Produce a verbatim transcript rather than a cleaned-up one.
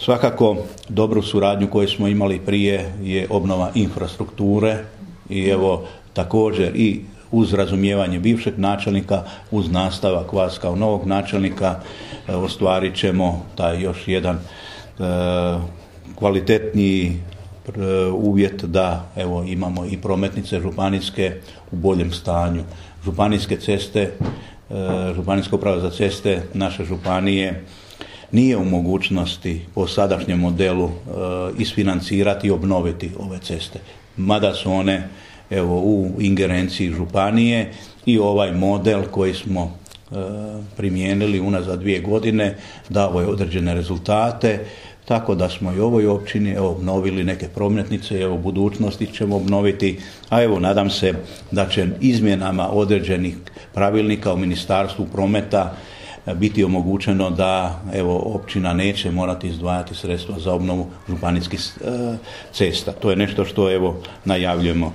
Svakako dobru suradnju koju smo imali prije je obnova infrastrukture i evo također i uz razumijevanje bivšeg načelnika, uz nastavak vas kao novog načelnika ostvarit ćemo taj još jedan e, kvalitetniji uvjet da evo imamo i prometnice županijske u boljem stanju. Županijske ceste, županijska uprava za ceste naše županije nije u mogućnosti po sadašnjem modelu isfinancirati i obnoviti ove ceste. Mada su one evo u ingerenciji županije i ovaj model koji smo primijenili unazad dvije godine dao je određene rezultate. Tako da smo i u ovoj općini evo, obnovili neke prometnice, evo u budućnosti ćemo obnoviti, a evo nadam se da će izmjenama određenih pravilnika u Ministarstvu prometa biti omogućeno da evo općina neće morati izdvajati sredstva za obnovu županijskih cesta. To je nešto što evo najavljujemo.